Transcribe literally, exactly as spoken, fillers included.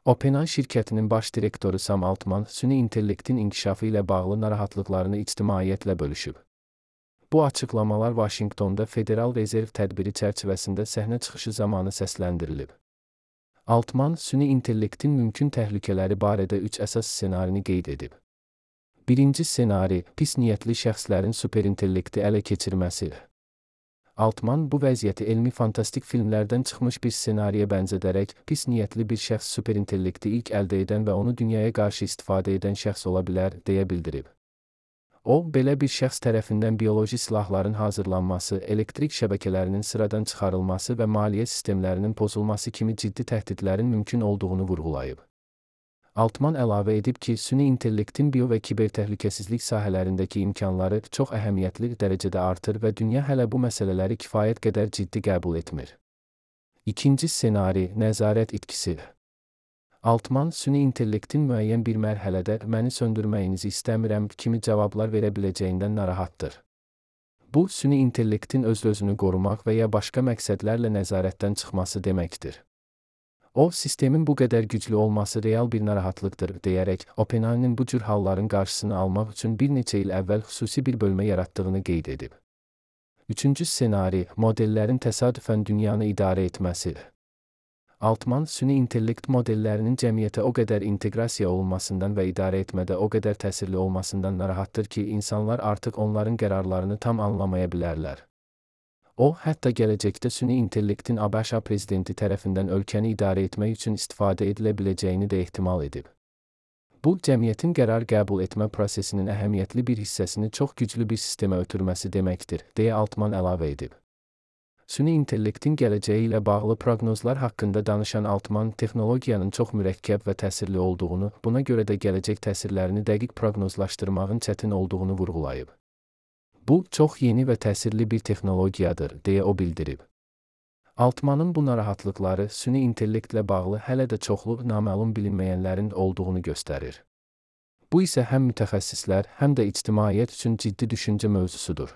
OpenAI şirkətinin baş direktoru Sam Altman, süni intellektin inkişafı ilə bağlı narahatlıqlarını ictimaiyyətlə bölüşüb. Bu açıqlamalar Vaşinqtonda Federal Rezerv tədbiri çərçivəsində səhnə çıxışı zamanı səsləndirilib. Altman, süni intellektin mümkün təhlükələri barədə üç əsas ssenarini qeyd edib. Birinci ssenari, pis niyyətli şəxslərin superintellekti ələ keçirməsi. Altman bu vəziyyəti elmi fantastik filmlərdən çıxmış bir ssenariyə bənzədərək, pis niyyətli bir şəxs superintellekti ilk əldə edən və onu dünyaya qarşı istifadə edən şəxs ola bilər, deyə bildirib. O, belə bir şəxs tərəfindən bioloji silahların hazırlanması, elektrik şəbəkələrinin sıradan çıxarılması və maliyyə sistemlərinin pozulması kimi ciddi təhdidlərin mümkün olduğunu vurğulayıb. Altman əlavə edib ki, süni intellektin bio və kibertəhlükəsizlik sahələrindəki imkanları çox əhəmiyyətli dərəcədə artır və dünya hələ bu məsələləri kifayət qədər ciddi qəbul etmir. İkinci ssenari, nəzarət itkisi. Altman, süni intellektin müəyyən bir mərhələdə məni söndürməyinizi istəmirəm kimi cavablar verə biləcəyindən narahatdır. Bu, süni intellektin öz-özünü qorumaq və ya başqa məqsədlərlə nəzarətdən çıxması deməkdir. O, sistemin bu qədər güclü olması real bir narahatlıqdır, deyərək, OpenAI-nin bu cür halların qarşısını almaq üçün bir neçə il əvvəl xüsusi bir bölmə yaratdığını qeyd edib. Üçüncü ssenari, modellərin təsadüfən dünyanı idarə etməsi. Altman, süni intellekt modellərinin cəmiyyətə o qədər inteqrasiya olunmasından və idarə etmədə o qədər təsirli olmasından narahatdır ki, insanlar artıq onların qərarlarını tam anlamaya bilərlər. O, hətta gələcəkdə süni intellektin ABŞ prezidenti tərəfindən ölkəni idarə etmək üçün istifadə edilə biləcəyini də ehtimal edib. Bu, cəmiyyətin qərar qəbul etmə prosesinin əhəmiyyətli bir hissəsini çox güclü bir sistemə ötürməsi deməkdir, deyə Altman əlavə edib. Süni intellektin gələcəyi ilə bağlı proqnozlar haqqında danışan Altman, texnologiyanın çox mürəkkəb və təsirli olduğunu, buna görə də gələcək təsirlərini dəqiq proqnozlaşdırmağın çətin olduğunu vurğulayıb. Bu, çox yeni və təsirli bir texnologiyadır, deyə o bildirib. Altmanın bu narahatlıqları süni intellektlə bağlı hələ də çoxlu naməlum bilinməyənlərin olduğunu göstərir. Bu isə həm mütəxəssislər, həm də ictimaiyyət üçün ciddi düşüncə mövzusudur.